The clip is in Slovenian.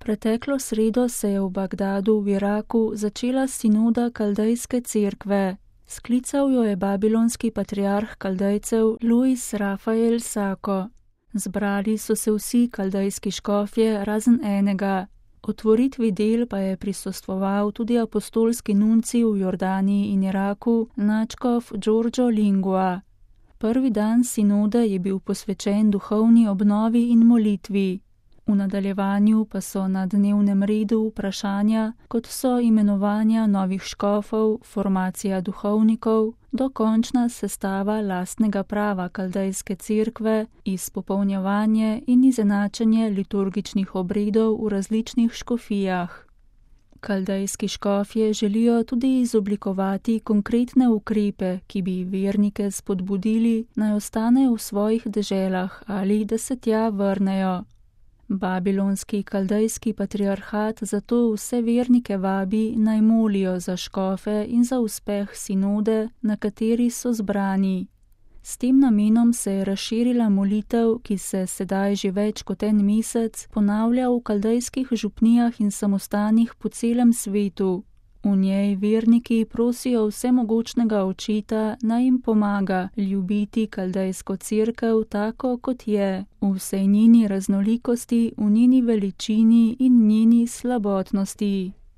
Preteklo sredo se je v Bagdadu v Iraku začela sinoda Kaldejske cerkve. Sklical jo je babilonski patriarh Kaldejcev Luis Rafael Sako. Zbrali so se vsi kaldejski škofje razen enega. Otvoritvi del pa je prisostvoval tudi apostolski nuncij v Jordaniji in Iraku, nadškof Giorgio Lingua. Prvi dan sinode je bil posvečen duhovni obnovi in molitvi. V nadaljevanju pa so na dnevnem redu vprašanja, kot so imenovanja novih škofov, formacija duhovnikov, dokončna sestava lastnega prava Kaldejske cerkve, izpopolnjevanje in izenačenje liturgičnih obredov v različnih škofijah. Kaldejski škofje želijo tudi izoblikovati konkretne ukrepe, ki bi vernike spodbudili, naj ostanejo v svojih deželah ali da se tja vrnejo. Babilonski kaldejski patriarhat zato vse vernike vabi, naj molijo za škofe in za uspeh sinode, na kateri so zbrani. S tem namenom se je razširila molitev, ki se sedaj že več kot en mesec ponavlja v kaldejskih župnijah in samostanih po celem svetu. V njej verniki prosijo vsemogočnega Očeta, naj jim pomaga ljubiti Kaldejsko cerkev tako, kot je, v vsej njeni raznolikosti, v njeni veličini in njeni slabotnosti.